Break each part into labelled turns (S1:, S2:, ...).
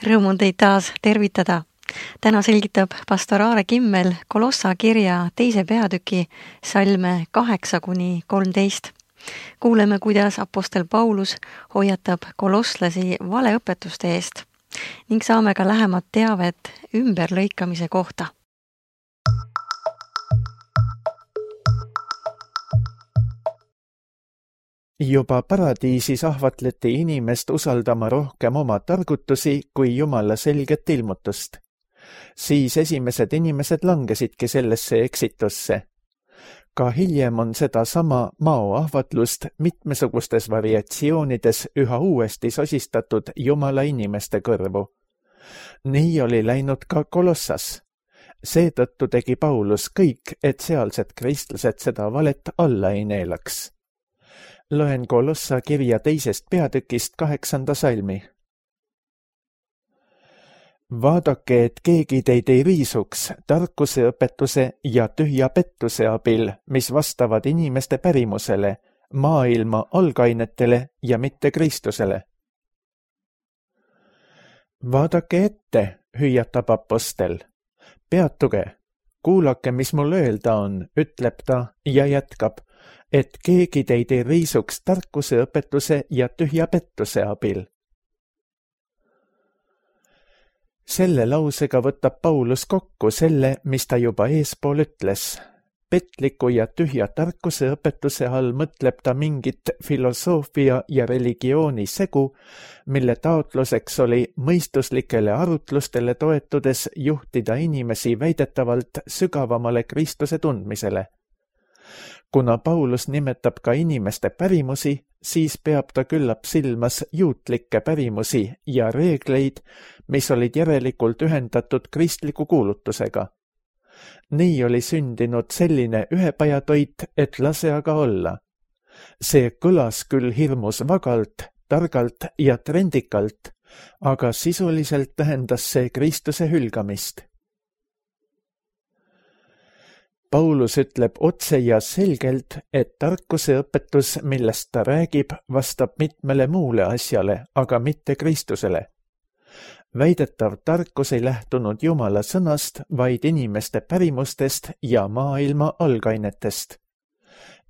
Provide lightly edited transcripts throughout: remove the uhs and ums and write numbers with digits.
S1: Rõõm on teid taas tervitada. Täna selgitab pastor Aare Kimmel Kolossa kirja 2. peatüki salme 8-13. Kuuleme, kuidas apostel Paulus hoiatab kolosslasi valeõpetuste eest ning saame ka lähemat teavet ümberlõikamise kohta.
S2: Juba paradiisis ahvatleti inimest usaldama rohkem oma targutusi kui Jumala selget ilmutust. Siis esimesed inimesed langesidki sellesse eksitusse. Ka hiljem on seda sama mao ahvatlust mitmesugustes variatsioonides üha uuesti sosistatud Jumala inimeste kõrvu. Nii oli läinud ka Kolossas. Seetõttu tegi Paulus kõik, et sealsed kristlased seda valet alla ei neelaks. Loen Kolossa kirja 2. peatükist 8. salmi. Vaadake, et keegi teid ei riisuks tarkuse õpetuse ja tühja pettuse abil, mis vastavad inimeste pärimusele, maailma algainetele ja mitte Kristusele. Vaadake ette, hüüatab apostel. Peatuge, kuulake, mis mul öelda on, ütleb ta ja jätkab, et keegi teid ei riisuks tarkuse õpetuse ja tühja pettuse abil. Selle lausega võtab Paulus kokku selle, mis ta juba eespool ütles. Petliku ja tühja tarkuse õpetuse all mõtleb ta mingit filosoofia ja religiooni segu, mille taotluseks oli mõistuslikele arutlustele toetudes juhtida inimesi väidetavalt sügavamale Kristuse tundmisele. Kuna Paulus nimetab ka inimeste pärimusi, siis peab ta küllap silmas juutlikke pärimusi ja reegleid, mis olid järelikult ühendatud kristliku kuulutusega. Nii oli sündinud selline ühepajatoit, et lase aga olla. See kõlas küll hirmus vagalt, targalt ja trendikalt, aga sisuliselt tähendas see Kristuse hülgamist. Paulus ütleb otse ja selgelt, et tarkuse õpetus, millest ta räägib, vastab mitmele muule asjale, aga mitte Kristusele. Väidetav tarkus ei lähtunud Jumala sõnast, vaid inimeste pärimustest ja maailma algainetest.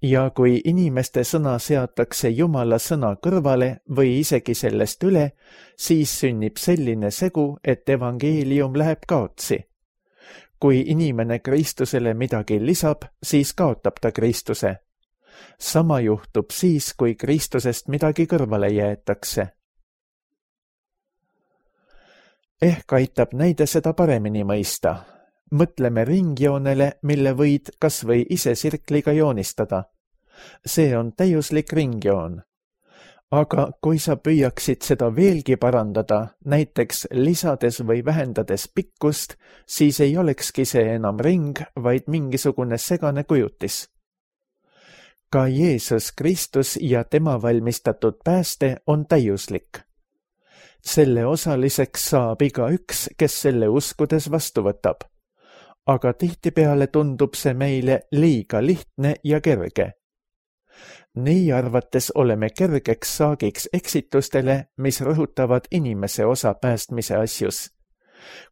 S2: Ja kui inimeste sõna seatakse Jumala sõna kõrvale või isegi sellest üle, siis sünnib selline segu, et evangeelium läheb kaotsi. Kui inimene Kristusele midagi lisab, siis kaotab ta Kristuse. Sama juhtub siis, kui Kristusest midagi kõrvale jäetakse. Ehk aitab näide seda paremini mõista. Mõtleme ringjoonele, mille võid kas või ise sirkliga joonistada. See on täiuslik ringjoon. Aga kui sa püüaksid seda veelgi parandada, näiteks lisades või vähendades pikkust, siis ei olekski see enam ring, vaid mingisugune segane kujutis. Ka Jeesus Kristus ja tema valmistatud pääste on täiuslik. Selle osaliseks saab igaüks, kes selle uskudes vastu võtab. Aga tihtipeale tundub see meile liiga lihtne ja kerge. Nii arvates oleme kergeks saagiks eksitustele, mis rõhutavad inimese osa päästmise asjus.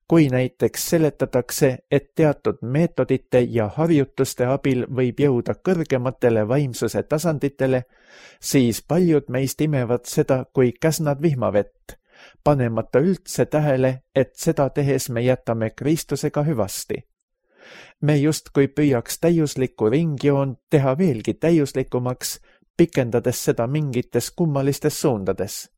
S2: Kui näiteks seletatakse, et teatud meetodite ja harjutuste abil võib jõuda kõrgematele vaimsuse tasanditele, siis paljud meist imevad seda kui käsnad vihmavett, panemata üldse tähele, et seda tehes me jätame Kristusega hüvasti. Me justkui püüaks täiuslikku ringjoon teha veelgi täiuslikumaks, pikendades seda mingites kummalistes suundades.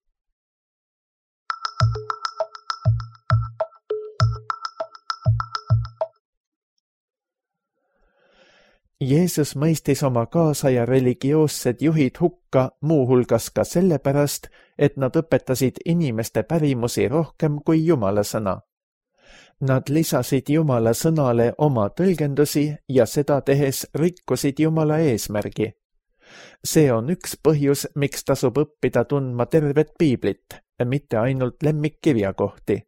S2: Jeesus mõistis oma kaasaja religioossed juhid hukka muuhulgas ka sellepärast, et nad õpetasid inimeste pärimusi rohkem kui Jumala sõna. Nad lisasid Jumala sõnale oma tõlgendusi ja seda tehes rikkusid Jumala eesmärgi. See on üks põhjus, miks tasub õppida tundma tervet piiblit, mitte ainult lemmikkirjakohti.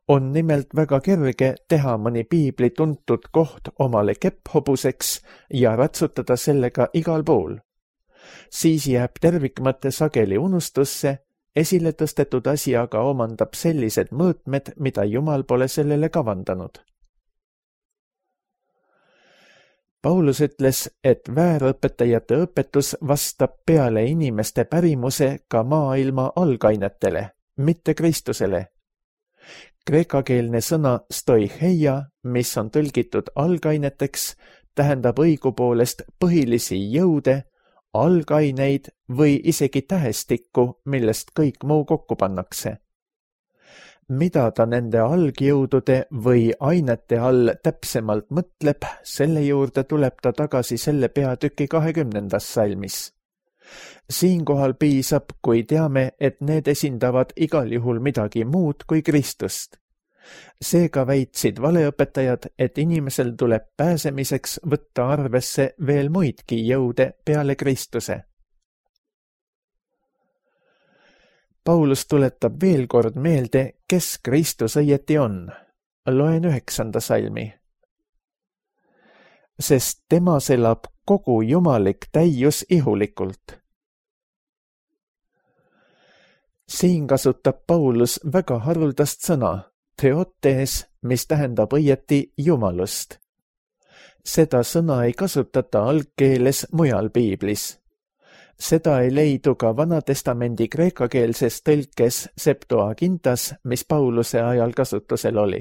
S2: On nimelt väga kerge teha mõni piibli tuntud koht omale kepphobuseks ja ratsutada sellega igal pool. Siis jääb tervikmõte sageli unustusse esile tõstetud asi aga omandab sellised mõõtmed, mida Jumal pole sellele kavandanud. Paulus ütles, et väärõpetajate õpetus vastab peale inimeste pärimuse ka maailma algainetele, mitte Kristusele. Kreekakeelne sõna stoicheia, mis on tõlgitud algaineteks, tähendab õigupoolest põhilisi jõude, algaineid või isegi tähestikku, millest kõik muu kokku pannakse. Mida ta nende algjõudude või ainete all täpsemalt mõtleb, selle juurde tuleb ta tagasi selle peatüki 20. salmis. Siinkohal piisab, kui teame, et need esindavad igal juhul midagi muud kui Kristust. Seega väitsid valeõpetajad, et inimesel tuleb pääsemiseks võtta arvesse veel muidki jõude peale Kristuse. Paulus tuletab veel kord meelde, kes Kristus õieti on. Loen 9. salmi. Sest temas elab kogu jumalik täius ihulikult. Siin kasutab Paulus väga haruldast sõna, theotes, mis tähendab õieti jumalust. Seda sõna ei kasutata algkeeles mujal piiblis. Seda ei leidu ka Vanatestamendi kreekakeelses tõlkes Septuagintas, mis Pauluse ajal kasutusel oli.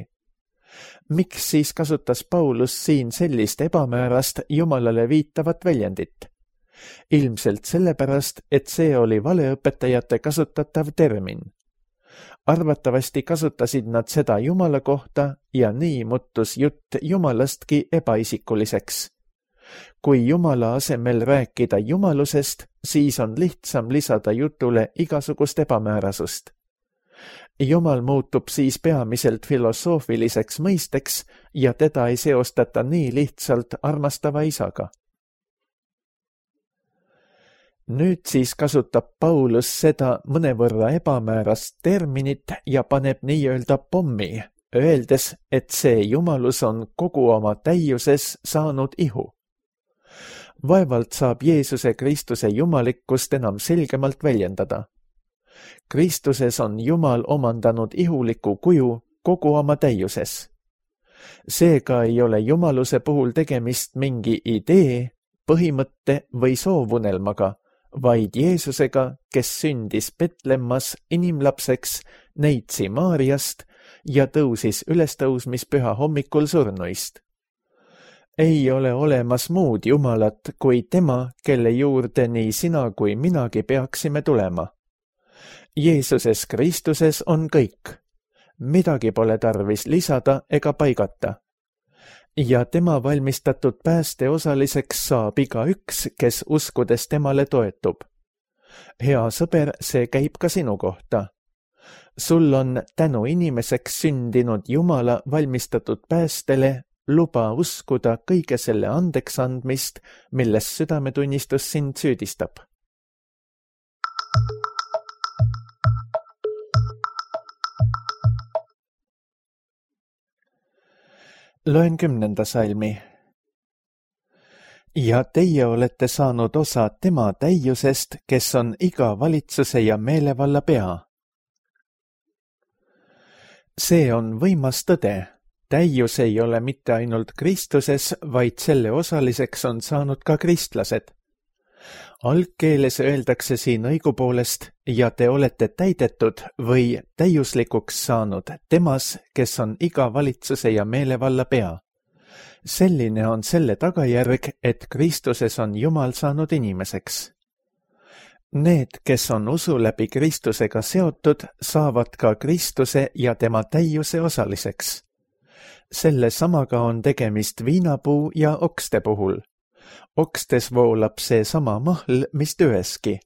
S2: Miks siis kasutas Paulus siin sellist ebamäärast Jumalale viitavat väljendit? Ilmselt sellepärast, et see oli valeõpetajate kasutatav termin. Arvatavasti kasutasid nad seda Jumala kohta ja nii muutus jutt Jumalastki ebaisikuliseks. Kui Jumala asemel rääkida jumalusest, siis on lihtsam lisada jutule igasugust ebamäärasust. Jumal muutub siis peamiselt filosoofiliseks mõisteks ja teda ei seostata nii lihtsalt armastava isaga. Nüüd siis kasutab Paulus seda mõnevõrra ebamäärast terminit ja paneb nii-öelda pommi, öeldes, et see jumalus on kogu oma täiuses saanud ihu. Vaevalt saab Jeesuse Kristuse jumalikkust enam selgemalt väljendada. Kristuses on Jumal omandanud ihuliku kuju kogu oma täiuses. Seega ei ole jumaluse puhul tegemist mingi idee, põhimõtte või soovunelmaga, vaid Jeesusega, kes sündis Betlemmas inimlapseks neitsi Maariast ja tõusis ülestõusmispüha hommikul surnuist. Ei ole olemas muud Jumalat kui tema, kelle juurde nii sina kui minagi peaksime tulema. Jeesuses Kristuses on kõik. Midagi pole tarvis lisada ega paigata. Ja tema valmistatud pääste osaliseks saab igaüks, kes uskudes temale toetub. Hea sõber, see käib ka sinu kohta. Sul on tänu inimeseks sündinud Jumala valmistatud päästele luba uskuda kõige selle andeks andmist, milles südametunnistus sind süüdistab. Loen 10. salmi. Ja teie olete saanud osa tema täiusest, kes on iga valitsuse ja meelevalla pea. See on võimas tõde. Täius ei ole mitte ainult Kristuses, vaid selle osaliseks on saanud ka kristlased. Algkeeles öeldakse siin õigupoolest ja te olete täidetud või täiuslikuks saanud temas, kes on iga valitsuse ja meelevalla pea. Selline on selle tagajärg, et Kristuses on Jumal saanud inimeseks. Need, kes on usu läbi Kristusega seotud, saavad ka Kristuse ja tema täiuse osaliseks. Selle samaga on tegemist viinapuu ja okste puhul. Okstes voolab see sama mahl, mis tööeski.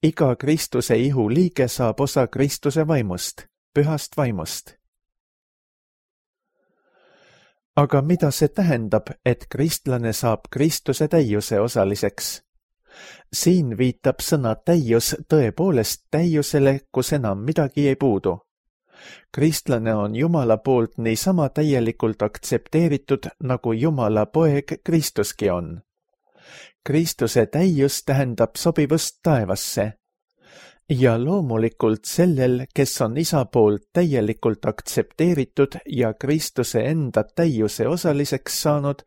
S2: Iga Kristuse ihu liige saab osa Kristuse vaimust, pühast vaimust. Aga mida see tähendab, et kristlane saab Kristuse täiuse osaliseks? Siin viitab sõna täius tõepoolest täiusele, kus enam midagi ei puudu. Kristlane on Jumala poolt niisama täielikult aktsepteeritud, nagu Jumala poeg Kristuski on. Kristuse täius tähendab sobivust taevasse. ja loomulikult sellel, kes on isa poolt täielikult aktsepteeritud ja Kristuse enda täiuse osaliseks saanud,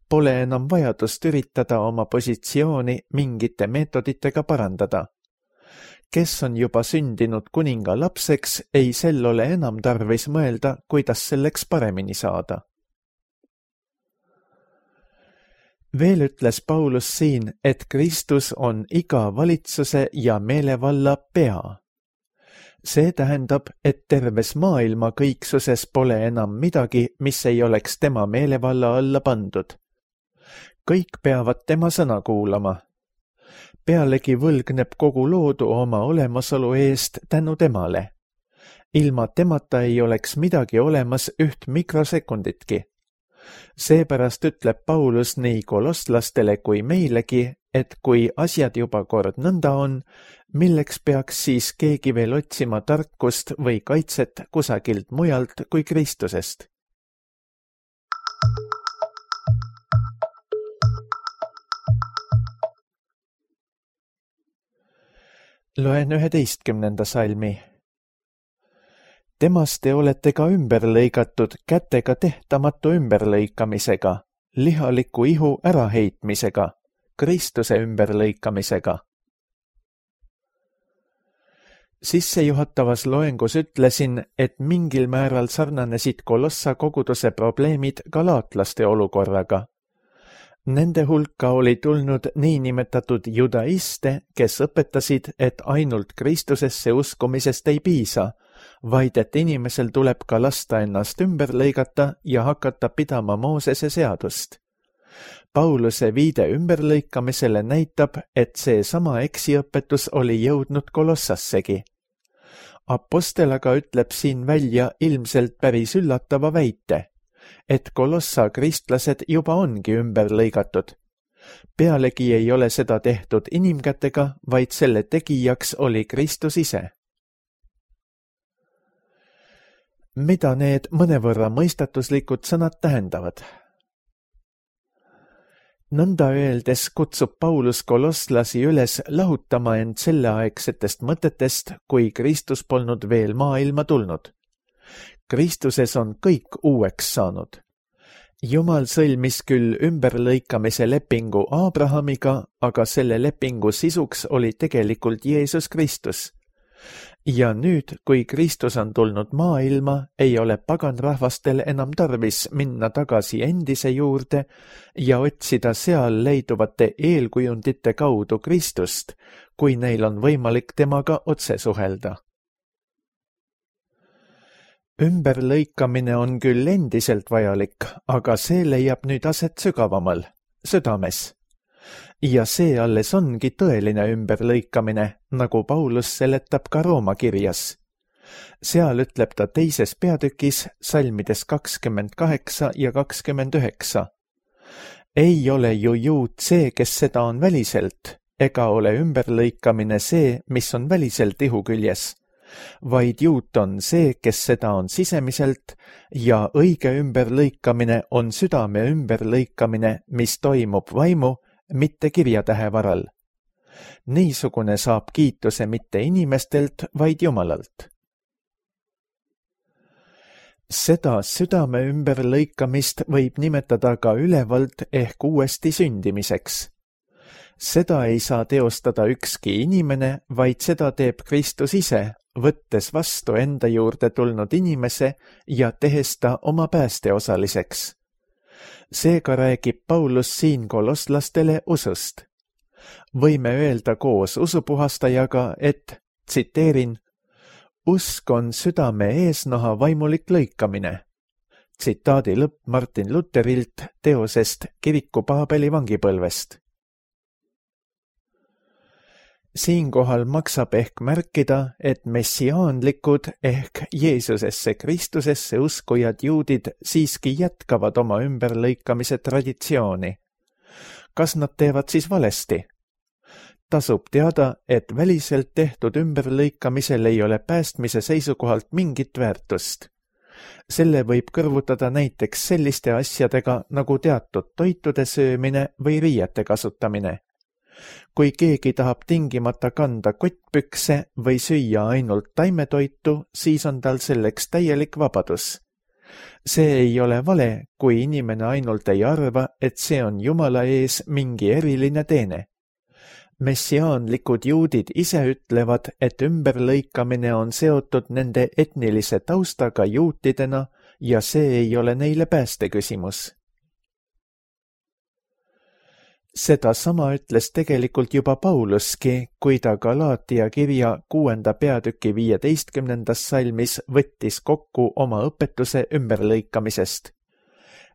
S2: pole enam vajadust üritada oma positsiooni mingite meetoditega parandada. Kes on juba sündinud kuninga lapseks, ei sel ole enam tarvis mõelda, kuidas selleks paremini saada. Veel ütles Paulus siin, et Kristus on iga valitsuse ja meelevalla pea. See tähendab, et terves maailma kõiksuses pole enam midagi, mis ei oleks tema meelevalla alla pandud. Kõik peavad tema sõna kuulama. Pealegi võlgneb kogu loodu oma olemasolu eest tänu temale. Ilma temata ei oleks midagi olemas üht mikrosekunditki. Seepärast ütleb Paulus nii kolosslastele kui meilegi, et kui asjad juba kord nõnda on, milleks peaks siis keegi veel otsima tarkust või kaitset kusagilt mujalt kui Kristusest. Loen 11. salmi. Temast te olete ka ümber lõigatud kätega tehtamatu ümberlõikamisega, lihaliku ihu äraheitmisega, Kristuse ümberlõikamisega. Sissejuhatavas loengus ütlesin, et mingil määral sarnanesid Kolossa koguduse probleemid galaatlaste olukorraga. Nende hulka oli tulnud niinimetatud judaiste, kes õpetasid, et ainult Kristusesse uskumisest ei piisa, vaid et inimesel tuleb ka lasta ennast ümber lõigata ja hakata pidama Moosese seadust. Pauluse viide ümberlõikamisele näitab, et see sama eksiõpetus oli jõudnud Kolossassegi. Apostel aga ütleb siin välja ilmselt päris üllatava väite, et Kolossa kristlased juba ongi ümber lõigatud. Pealegi ei ole seda tehtud inimkätega, vaid selle tegijaks oli Kristus ise. Mida need mõnevõrra mõistatuslikud sõnad tähendavad? Nõnda öeldes kutsub Paulus kolosslasi üles lahutama end selleaegsetest mõtetest, kui Kristus polnud veel maailma tulnud. Kristuses on kõik uueks saanud. Jumal sõlmis küll ümberlõikamise lepingu Abrahamiga, aga selle lepingu sisuks oli tegelikult Jeesus Kristus. Ja nüüd, kui Kristus on tulnud maailma, ei ole paganrahvastel enam tarvis minna tagasi endise juurde ja otsida seal leiduvate eelkujundite kaudu Kristust, kui neil on võimalik temaga otse suhelda. Ümberlõikamine on küll endiselt vajalik, aga see leiab nüüd aset sügavamal, südames. Ja see alles ongi tõeline ümberlõikamine, nagu Paulus seletab ka Rooma kirjas. Seal ütleb ta 2. peatükis salmides 28 ja 29. Ei ole ju juut see, kes seda on väliselt, ega ole ümberlõikamine see, mis on väliselt ihu küljes, vaid juut on see, kes seda on sisemiselt ja õige ümberlõikamine on südame ümberlõikamine, mis toimub vaimu, mitte kirjatähe varal. Niisugune saab kiituse mitte inimestelt, vaid Jumalalt. Seda südame ümberlõikamist võib nimetada ka ülevalt ehk uuesti sündimiseks. Seda ei saa teostada ükski inimene, vaid seda teeb Kristus ise, võttes vastu enda juurde tulnud inimese ja tehes ta oma päästeosaliseks. Seega räägib Paulus siin kolosslastele usust. Võime öelda koos usupuhastajaga, et, tsiteerin, usk on südame eesnaha vaimulik lõikamine. Tsitaadi lõpp Martin Luterilt teosest Kiriku Paabeli vangipõlvest. Siinkohal maksab ehk märkida, et messiaanlikud ehk Jeesusesse Kristusesse uskujad juudid siiski jätkavad oma ümberlõikamise traditsiooni. Kas nad teevad siis valesti? Tasub teada, et väliselt tehtud ümberlõikamisel ei ole päästmise seisukohalt mingit väärtust. Selle võib kõrvutada näiteks selliste asjadega nagu teatud toitude söömine või riiete kasutamine. Kui keegi tahab tingimata kanda kottpükse või süüa ainult taimetoitu, siis on tal selleks täielik vabadus. See ei ole vale, kui inimene ainult ei arva, et see on Jumala ees mingi eriline teene. Messiaanlikud juudid ise ütlevad, et ümberlõikamine on seotud nende etnilise taustaga juutidena ja see ei ole neile päästeküsimus. Seda sama ütles tegelikult juba Pauluski, kui ta Galaatia kirja 6. peatüki 15. salmis võttis kokku oma õpetuse ümberlõikamisest.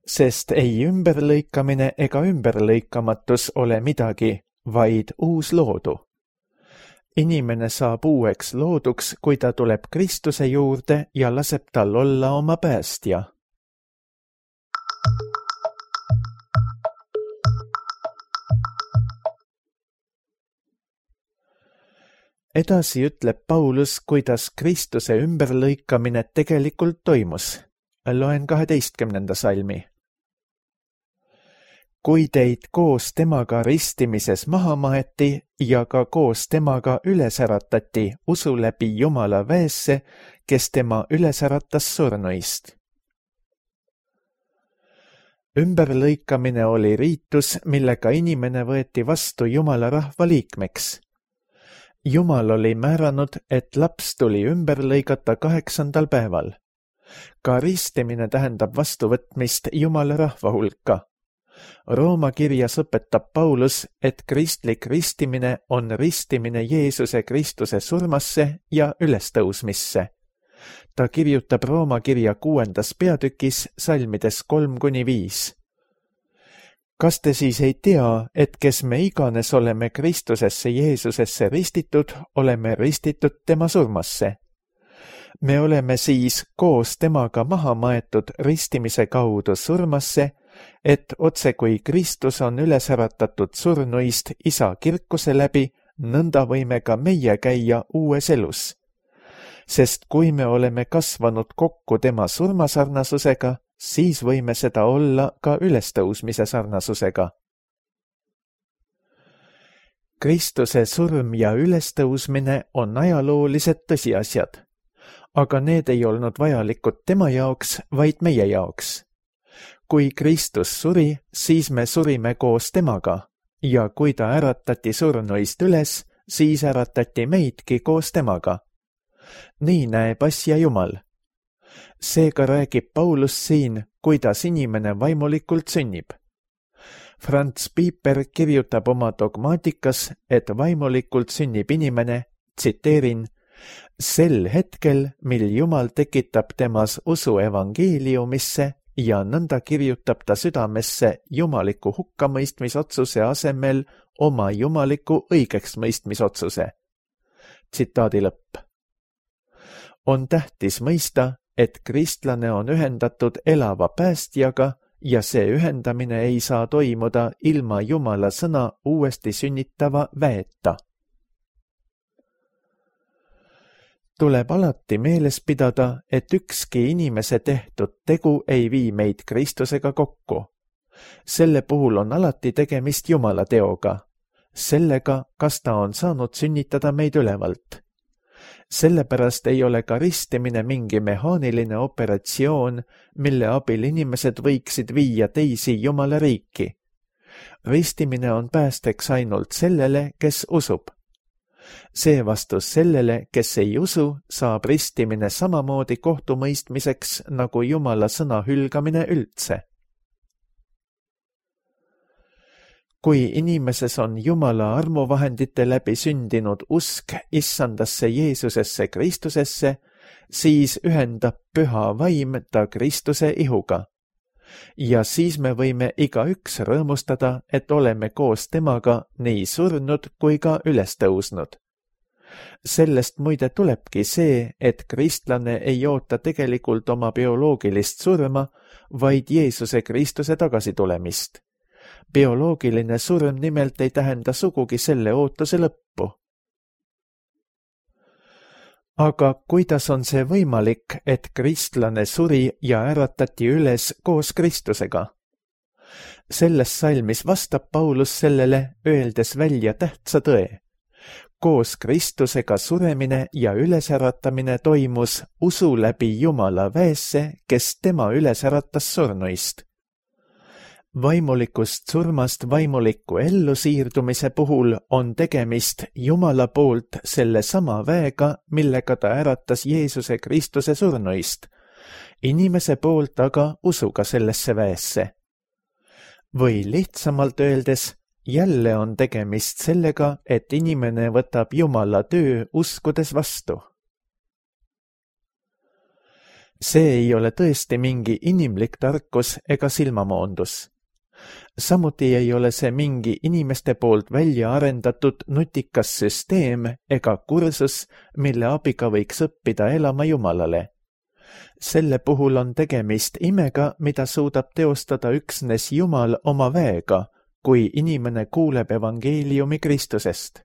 S2: Sest ei ümberlõikamine ega ümberlõikamatus ole midagi, vaid uus loodu. Inimene saab uueks looduks, kui ta tuleb Kristuse juurde ja laseb tal olla oma päästja. Edasi ütleb Paulus, kuidas Kristuse ümberlõikamine tegelikult toimus. Loen 12. salmi. Kui teid koos temaga ristimises maha maeti ja ka koos temaga üles äratati usu läbi Jumala väesse, kes tema üles äratas surnuist. Ümberlõikamine oli riitus, millega inimene võeti vastu Jumala rahva liikmeks. Jumal oli määranud, et laps tuli ümber lõigata 8. päeval. Ka ristimine tähendab vastuvõtmist Jumala rahva hulka. Rooma kirjas õpetab Paulus, et kristlik ristimine on ristimine Jeesuse Kristuse surmasse ja ülestõusmisse. Ta kirjutab Rooma kirja 6. peatükis salmides 3-5. Kas te siis ei tea, et kes me iganes oleme Kristusesse Jeesusesse ristitud, oleme ristitud tema surmasse? Me oleme siis koos temaga maha maetud ristimise kaudu surmasse, et otse kui Kristus on üles äratatud surnuist Isa kirkuse läbi, nõnda võime ka meie käia uues elus. Sest kui me oleme kasvanud kokku tema surmasarnasusega, siis võime seda olla ka ülestõusmise sarnasusega. Kristuse surm ja ülestõusmine on ajaloolised tõsiasjad, aga need ei olnud vajalikud tema jaoks, vaid meie jaoks. Kui Kristus suri, siis me surime koos temaga ja kui ta äratati surnuist üles, siis äratati meidki koos temaga. Nii näeb asja Jumal. Seega räägib Paulus siin, kuidas inimene vaimulikult sünnib. Franz Pieper kirjutab oma dogmaatikas, et vaimulikult sünnib inimene, tsiteerin, sel hetkel, mil Jumal tekitab temas usu evangeeliumisse ja nõnda kirjutab ta südamesse jumaliku hukkamõistmisotsuse asemel oma jumaliku õigeksmõistmisotsuse. Tsitaadi lõpp. On tähtis mõista, et kristlane on ühendatud elava päästjaga ja see ühendamine ei saa toimuda ilma Jumala sõna uuesti sünnitava väeta. Tuleb alati meeles pidada, et ükski inimese tehtud tegu ei vii meid Kristusega kokku. Selle puhul on alati tegemist Jumala teoga, sellega, kas ta on saanud sünnitada meid ülevalt. Sellepärast ei ole ka ristimine mingi mehaaniline operatsioon, mille abil inimesed võiksid viia teisi Jumala riiki. Ristimine on päästeks ainult sellele, kes usub. Seevastus sellele, kes ei usu, saab ristimine samamoodi kohtumõistmiseks nagu Jumala sõna hülgamine üldse. Kui inimeses on Jumala armuvahendite läbi sündinud usk issandasse Jeesusesse Kristusesse, siis ühendab püha vaim ta Kristuse ihuga. Ja siis me võime igaüks rõõmustada, et oleme koos temaga nii surnud kui ka üles tõusnud. Sellest muide tulebki see, et kristlane ei oota tegelikult oma bioloogilist surma, vaid Jeesuse Kristuse tagasitulemist. Bioloogiline surm nimelt ei tähenda sugugi selle ootuse lõppu. Aga kuidas on see võimalik, et kristlane suri ja äratati üles koos Kristusega? Selles salmis vastab Paulus sellele, öeldes välja tähtsa tõe. Koos Kristusega suremine ja ülesäratamine toimus usu läbi Jumala väesse, kes tema ülesäratas surnuist. Vaimulikust surmast vaimuliku ellusiirdumise puhul on tegemist Jumala poolt selle sama väega, millega ta äratas Jeesuse Kristuse surnuist, inimese poolt aga usuga sellesse väesse. Või lihtsamalt öeldes, jälle on tegemist sellega, et inimene võtab Jumala töö uskudes vastu. See ei ole tõesti mingi inimlik tarkus ega silmamoondus. Samuti ei ole see mingi inimeste poolt välja arendatud nutikas süsteem ega kursus, mille abiga võiks õppida elama Jumalale. Selle puhul on tegemist imega, mida suudab teostada üksnes Jumal oma väega, kui inimene kuuleb evangeeliumi Kristusest.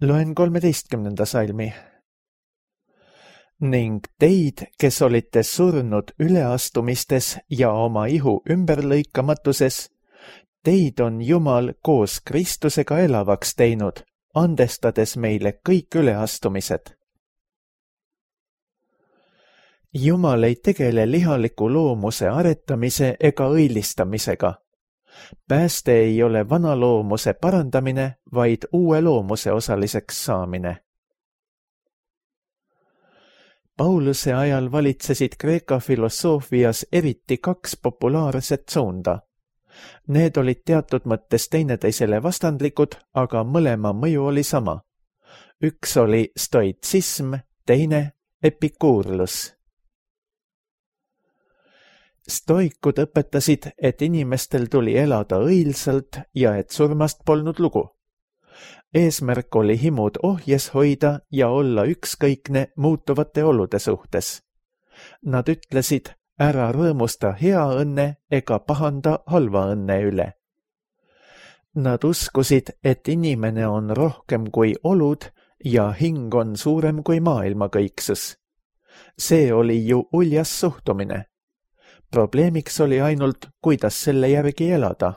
S2: Loen 13. salmi. Ning teid, kes olite surnud üleastumistes ja oma ihu ümberlõikamatuses, teid on Jumal koos Kristusega elavaks teinud, andestades meile kõik üleastumised. Jumal ei tegele lihaliku loomuse aretamise ega õilistamisega. Pääste ei ole vana loomuse parandamine, vaid uue loomuse osaliseks saamine. Pauluse ajal valitsesid Kreeka filosoofias eriti kaks populaarset suunda. Need olid teatud mõttes teineteisele vastandlikud, aga mõlema mõju oli sama. Üks oli stoitsism, teine epikuurlus. Stoikud õpetasid, et inimestel tuli elada õilsalt ja et surmast polnud lugu. Eesmärk oli himud ohjes hoida ja olla ükskõikne muutuvate olude suhtes. Nad ütlesid, ära rõõmusta hea õnne ega pahanda halva õnne üle. Nad uskusid, et inimene on rohkem kui olud ja hing on suurem kui maailmakõiksus. See oli ju uljas suhtumine. Probleemiks oli ainult, kuidas selle järgi elada.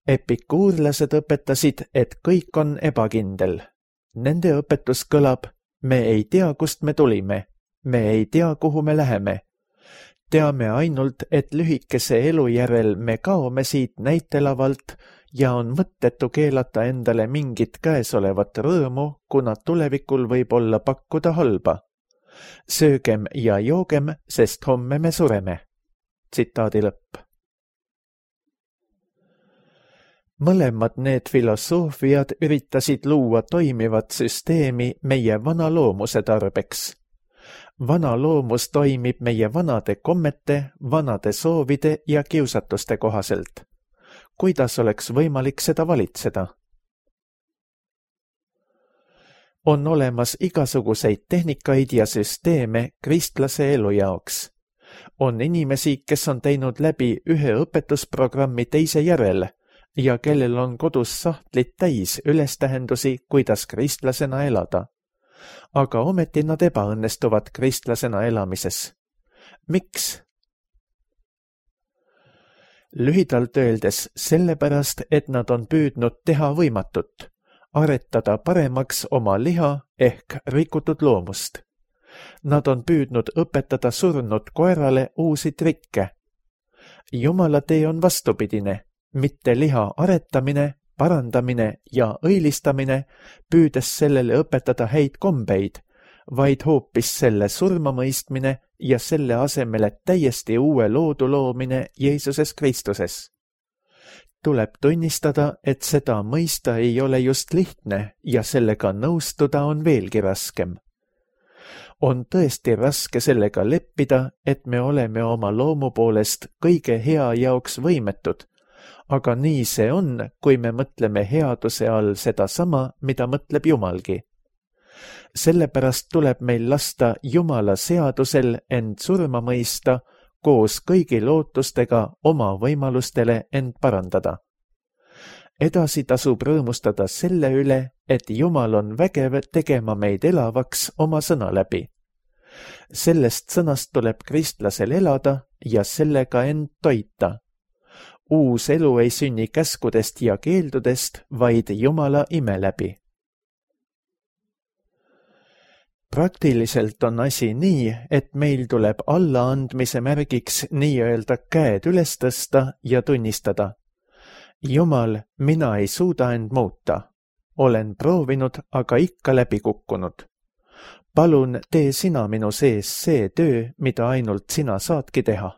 S2: Epikuurlased õpetasid, et kõik on ebakindel. Nende õpetus kõlab, me ei tea, kust me tulime, me ei tea, kuhu me läheme. Teame ainult, et lühikese elu järel me kaome siit näitelavalt ja on mõttetu keelata endale mingit käesolevat rõõmu, kuna tulevikul võib olla pakkuda halba. Söögem ja joogem, sest homme me sureme. Tsitaadi lõpp. Mõlemad need filosoofiad üritasid luua toimivat süsteemi meie vana loomuse tarbeks. Vana loomus toimib meie vanade kommete, vanade soovide ja kiusatuste kohaselt. Kuidas oleks võimalik seda valitseda? On olemas igasuguseid tehnikaid ja süsteeme kristlase elu jaoks. On inimesi, kes on teinud läbi ühe õpetusprogrammi teise järel ja kellel on kodus sahtlid täis ülestähendusi, kuidas kristlasena elada. Aga ometi nad ebaõnnestuvad kristlasena elamises. Miks? Lühidalt öeldes sellepärast, et nad on püüdnud teha võimatut. Aretada paremaks oma liha ehk rikutud loomust. Nad on püüdnud õpetada surnud koerale uusi trikke. Jumala tee on vastupidine, mitte liha aretamine, parandamine ja õilistamine, püüdes sellele õpetada häid kombeid, vaid hoopis selle surmamõistmine ja selle asemel, et täiesti uue loodu loomine Jeesuses Kristuses. Tuleb tunnistada, et seda mõista ei ole just lihtne ja sellega nõustuda on veelgi raskem. On tõesti raske sellega leppida, et me oleme oma loomu poolest kõige hea jaoks võimetud, aga nii see on, kui me mõtleme headuse all sedasama, mida mõtleb Jumalgi. Sellepärast tuleb meil lasta Jumala seadusel end surma mõista, koos kõigi lootustega oma võimalustele end parandada. Edasi tasub rõõmustada selle üle, et Jumal on vägev tegema meid elavaks oma sõna läbi. Sellest sõnast tuleb kristlasel elada ja sellega end toita. Uus elu ei sünni käskudest ja keeldudest, vaid Jumala ime läbi. Praktiliselt on asi nii, et meil tuleb allaandmise märgiks nii-öelda käed üles tõsta ja tunnistada. Jumal, mina ei suuda end muuta. Olen proovinud, aga ikka läbi kukkunud. Palun, tee sina minu sees see töö, mida ainult sina saadki teha.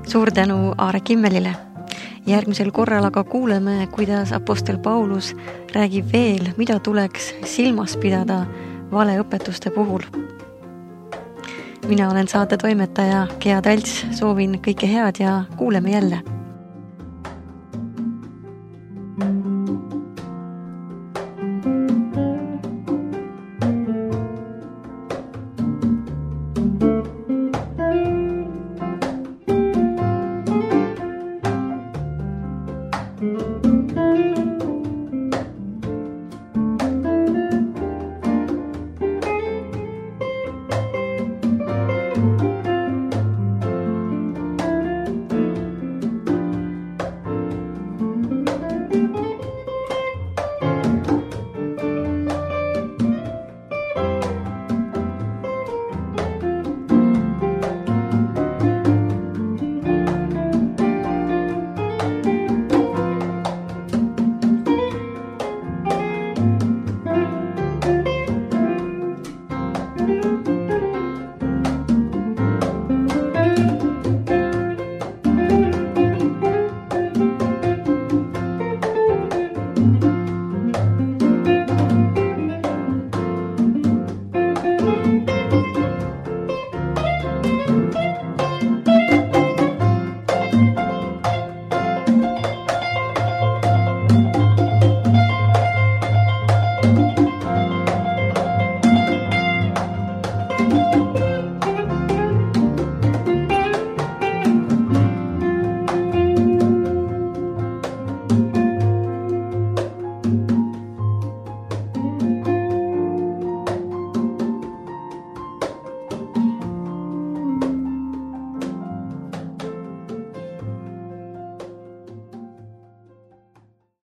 S1: Suur tänu Aare Kimmelile. Järgmisel korral aga kuuleme, kuidas apostel Paulus räägib veel, mida tuleks silmas pidada valeõpetuste puhul. Mina olen saate toimetaja Gea Talts, soovin kõike head ja kuuleme jälle.